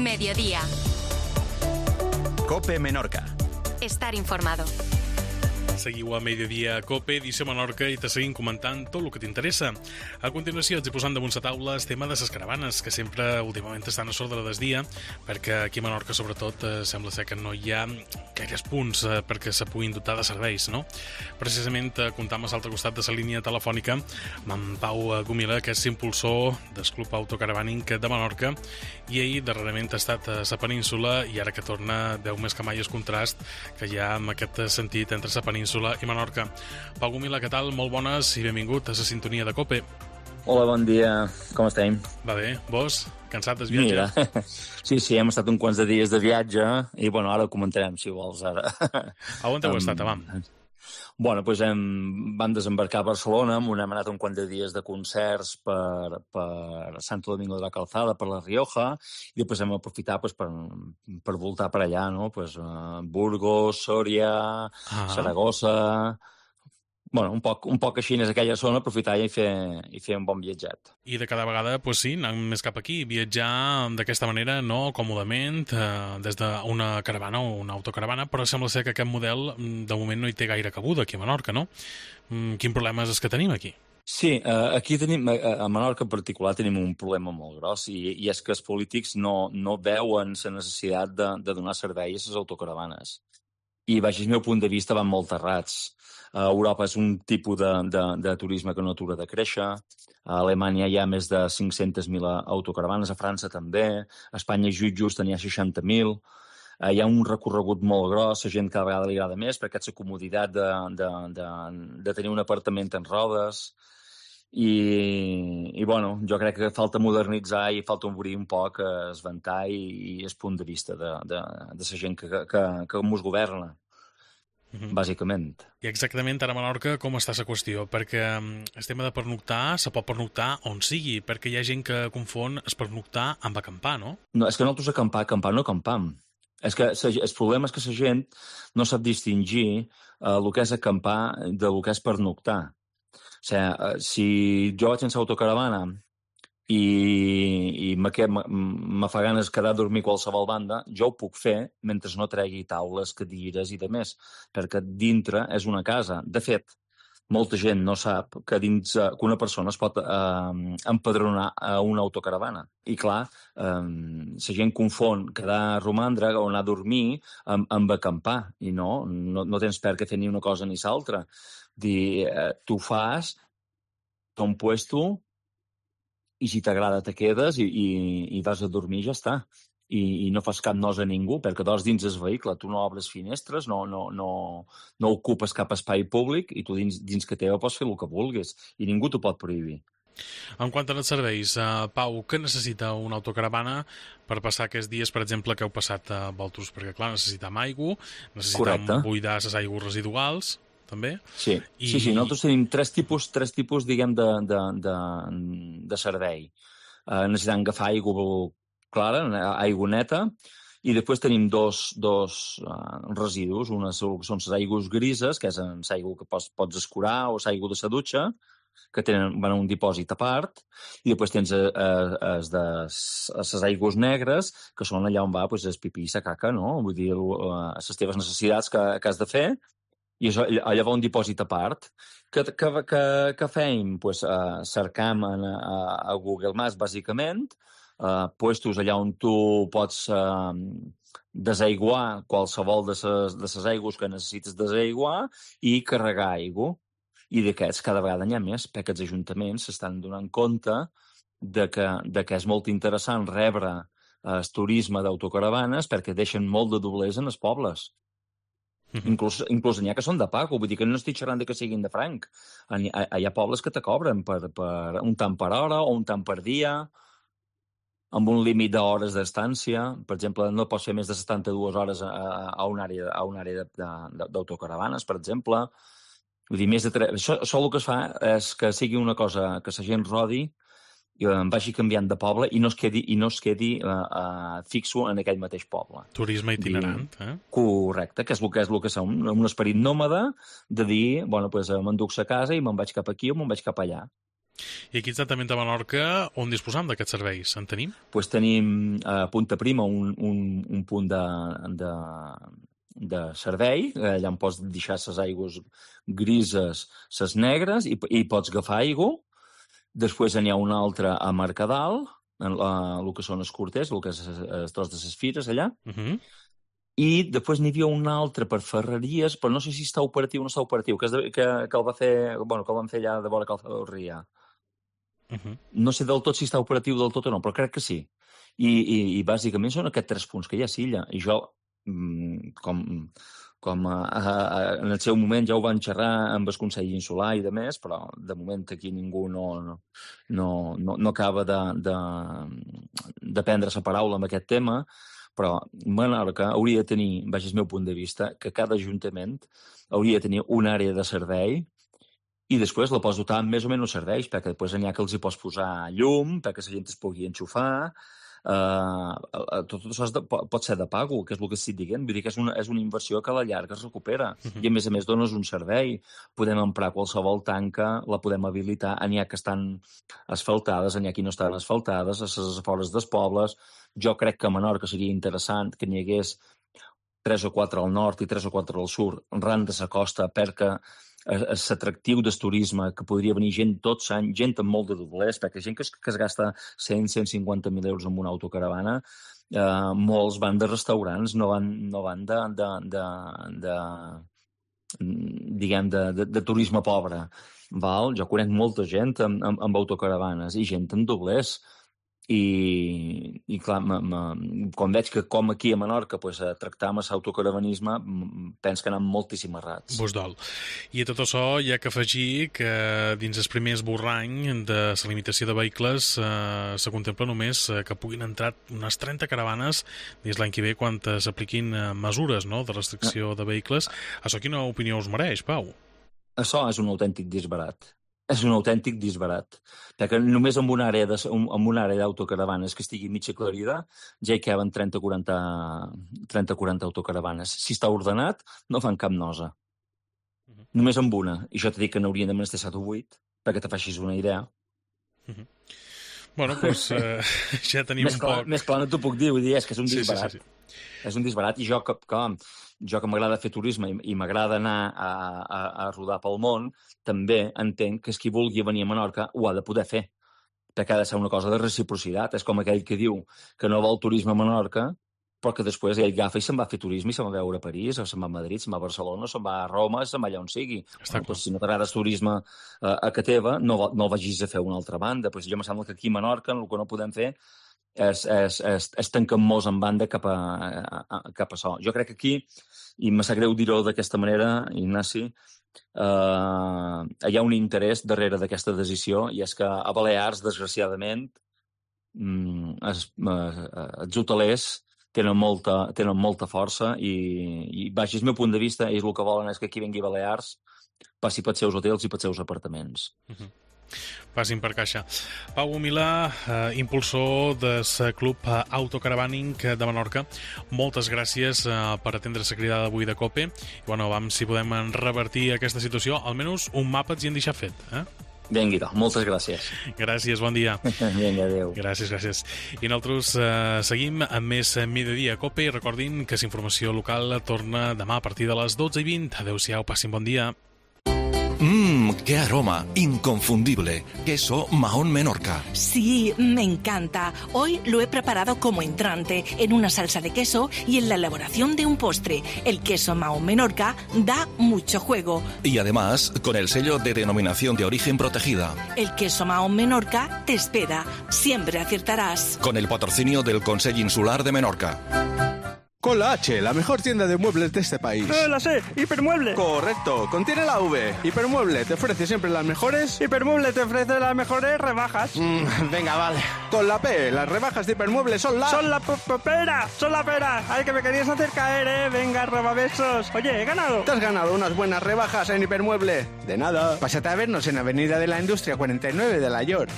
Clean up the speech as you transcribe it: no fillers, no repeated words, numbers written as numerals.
Mediodía. COPE Menorca. Estar informado. Seguiu a Mediodía COPE, edició Menorca, i te seguim comentant tot el que t'interessa. A continuació ets posant damunt la taula el tema de les caravanes, que sempre últimament estan a l'ordre del dia, perquè aquí a Menorca sobretot sembla ser que no hi ha gaires punts perquè se puguin dotar de serveis, no? Precisament comptam a l'altre costat de la línia telefònica amb en Pau Gumila, que és impulsor del Club Autocaravaning de Menorca, i ell darrerament ha estat a la península i ara que torna veu més que mai el contrast que hi ha en aquest sentit entre la península i Menorca. Pau Gumila, què tal? Molt bones i benvingut a la sintonia de COPE. Hola, bon dia. Com estem? Va bé. Vos? Cansat del viatge? Mira, sí, hem estat uns quants de dies de viatge i, bueno, ara ho comentarem, si vols, ara. A on heu estat, abans? Bueno, doncs vam desembarcar a Barcelona, hem anat un quant de dies de concerts per Santo Domingo de la Calzada, per la Rioja, i després hem aprofitat per voltar per allà, no? Burgos, Sòria, Saragossa... Bueno, un poc així en aquella zona, aprofitar i fer un bon viatget. I de cada vegada, doncs sí, anar més cap aquí, viatjar d'aquesta manera, no còmodament, des d'una caravana o una autocaravana, però sembla ser que aquest model de moment no hi té gaire cabuda aquí a Menorca, no? Quin problema és que tenim aquí? Sí, aquí tenim, a Menorca en particular, tenim un problema molt gros i és que els polítics no veuen la necessitat de donar servei a les autocaravanes. I, baix el meu punt de vista, van molt errats. A Europa és un tipus de turisme que no atura de créixer. A Alemanya hi ha més de 500.000 autocaravanes, a França també. A Espanya just n'hi ha 60.000. Hi ha un recorregut molt gros, la gent cada vegada li agrada més perquè és la comoditat de tenir un apartament en rodes. I bueno, jo crec que falta modernitzar i falta obrir un poc el ventall i el punt de vista de la gent que mos governa. Bàsicament. I exactament ara a Menorca com està la qüestió? Perquè el tema de pernoctar se pot pernoctar on sigui, perquè hi ha gent que confon es pernoctar amb acampar, no? No, és que nosaltres acampar no acampam. És que el problema és que la gent no sap distingir el que és acampar del que és pernoctar. O sigui, si jo vaig en l'autocaravana i me fa ganes quedar a dormir a qualsevol banda, jo ho puc fer mentre no tregui taules, cadires i demés, perquè dintre és una casa. De fet, molta gent no sap que una persona es pot empadronar a una autocaravana. I clar, la gent confon quedar a romandre o anar a dormir amb acampar. I no tens per què fer ni una cosa ni l'altra. Tu fas ton puesto i si t'agrada te quedes i vas a dormir i ja està. I no fas cap nosa a ningú, perquè dors dins el vehicle, tu no obres finestres, no ocupes cap espai públic i tu dins que teva pots fer el que vulguis i ningú t'ho pot prohibir. En quant als serveis, Pau, què necessita una autocaravana per passar aquests dies, per exemple, que heu passat a Valtros? Perquè, clar, necessitem aigua, necessitem buidar les aigües residuals, també. Sí, nosaltres tenim tres tipus diguem, de servei. Necessitem agafar aigua clara, aigua neta, i després tenim dos residus. Una són les aigües grises, que és l'aigua que pots escurar, o l'aigua de la dutxa, que van a un dipòsit a part, i després tens les aigües negres, que són allà on va el pipí i la caca, no? Vull dir, les teves necessitats que has de fer, i allà va un dipòsit a part. Què fem? Cercam a Google Maps, bàsicament, puestos allà on tu pots desaiguar qualsevol de les aigües que necessites desaiguar i carregar aigua. I d'aquests cada vegada n'hi ha més, perquè els ajuntaments s'estan donant compte de que és molt interessant rebre el turisme d'autocaravanes perquè deixen molt de doblers en els pobles. Inclús n'hi ha que són de pago, vull dir que no estic xerrant que siguin de franc. Hi ha pobles que te cobren per un tant per hora o un tant per dia, amb un límit d'hores d'estància. Per exemple, no pots fer més de 72 hores a una àrea d'autocaravanes, per exemple. Vull dir, això el que es fa és que sigui una cosa que la gent rodi vagi canviant de poble i no es quedi fixo en aquell mateix poble. Turisme itinerant, Correcte, que és el que som, un esperit nòmada de dir, bueno, me'n duc a casa i me'n vaig cap aquí o me'n vaig cap allà. I aquí exactament a Menorca, on disposam d'aquests serveis? En tenim? Pues tenim a Punta Prima un punt de servei, allà on pots deixar les aigües grises, les negres, i pots agafar aigua. Després n'hi ha un altre a Mercadal, el que són els Corters, el que és el tros de les fires allà. I després n'hi havia un altre per Ferreries, però no sé si està operatiu o no està operatiu, que el va fer, bueno, que el van fer allà de vora Calçada del Rià. No sé del tot si està operatiu del tot o no, però crec que sí. I bàsicament són aquests 3 punts que hi ha a Silla. I jo, com en el seu moment ja ho van xerrar amb el Consell Insular i de més, però de moment aquí ningú no acaba de prendre la paraula amb aquest tema. Però Menorca hauria de tenir, baix el meu punt de vista, que cada ajuntament hauria de tenir una àrea de servei i després la pots dotar amb més o menys serveis, perquè després n'hi ha que els hi pots posar llum, perquè la gent es pugui enxufar. Tot això pot ser de pago, que és el que estic dient. Vull dir que és una inversió que a la llarga es recupera. I a més dones un servei. Podem emprar qualsevol tanca, la podem habilitar. N'hi ha que estan asfaltades, n'hi ha que no estan asfaltades, a les afores dels pobles. Jo crec que a Menorca seria interessant que n'hi hagués 3 o 4 al nord i 3 o 4 al sud, ran de la costa, perquè l'atractiu del turisme, que podria venir gent tot l'any, gent amb molt de doblers, perquè gent que es gasta 100-150.000 euros en una autocaravana, molts van de restaurants, no van de turisme pobre. Val? Jo conec molta gent amb autocaravanes i gent amb doblers. I clar, quan veig que com aquí a Menorca tractar amb l'autocaravanisme, penso que anem moltíssim errats. Vos dol. I a tot això hi ha que afegir que dins el primer esborrany de la limitació de vehicles se contempla només que puguin entrar unes 30 caravanes dins l'any que ve quan s'apliquin mesures, no?, de restricció de vehicles. Això quina opinió us mereix, Pau? Això és un autèntic disbarat. És un autèntic disbarat. Perquè només amb una àrea d'autocaravanes que estigui mitja aclarida ja hi caben 30-40 autocaravanes. Si està ordenat, no fan cap nosa. Només amb una. I jo t'he dit que n'haurien de menester 7 o 8, perquè te facis una idea. Bueno, doncs ja tenim un poc... Més clar no t'ho puc dir, vull dir, és que és un disbarat. Sí. És un disbarat, i jo que m'agrada fer turisme i m'agrada anar a rodar pel món, també entenc que qui vulgui venir a Menorca ho ha de poder fer, perquè ha de ser una cosa de reciprocitat. És com aquell que diu que no vol turisme a Menorca, però que després ell agafa i se'n va a fer turisme i se'n va a veure a París, o se'n va a Madrid, se'n va a Barcelona, se'n va a Roma, se'n va allà on sigui. Doncs, si no t'agrada el turisme a que teva, no el vagis a fer a una altra banda. Pues jo em sembla que aquí a Menorca el que no podem fer és tancar-nos en banda cap a això. Jo crec que aquí, i me sap greu dir-ho d'aquesta manera, Ignasi, hi ha un interès darrere d'aquesta decisió, i és que a Balears, desgraciadament, els hotelers tenen molta força i baix el meu punt de vista, ells el que volen és que aquí vingui a Balears, passi pels seus hotels i pels seus apartaments. Passin per caixa. Pau Milà, impulsor del Club Autocaravaning de Menorca, moltes gràcies per atendre la cridada d'avui de COPE. I bueno, vam, si podem revertir aquesta situació, almenys un mapa ens hi han deixat fet, Vinga, moltes gràcies. Gràcies, bon dia. Vinga, adéu. Gràcies. I nosaltres seguim amb més Mediodía COPE i recordin que la informació local torna demà a partir de les 12:20. Adéu-siau, passin bon dia. ¡Qué aroma! Inconfundible. Queso Mahón Menorca. Sí, me encanta. Hoy lo he preparado como entrante, en una salsa de queso y en la elaboración de un postre. El queso Mahón Menorca da mucho juego. Y además, con el sello de denominación de origen protegida. El queso Mahón Menorca te espera. Siempre aciertarás. Con el patrocinio del Consell Insular de Menorca. Con la H, la mejor tienda de muebles de este país. La sé, Hipermueble. Correcto, contiene la V. Hipermueble te ofrece siempre las mejores... Hipermueble te ofrece las mejores rebajas. Venga, vale. Con la P, las rebajas de Hipermueble son la... Son la pera, son la pera. Ay, que me querías hacer caer, Venga, robabesos. Oye, he ganado. Te has ganado unas buenas rebajas en Hipermueble. De nada. Pásate a vernos en Avenida de la Industria 49 de La York.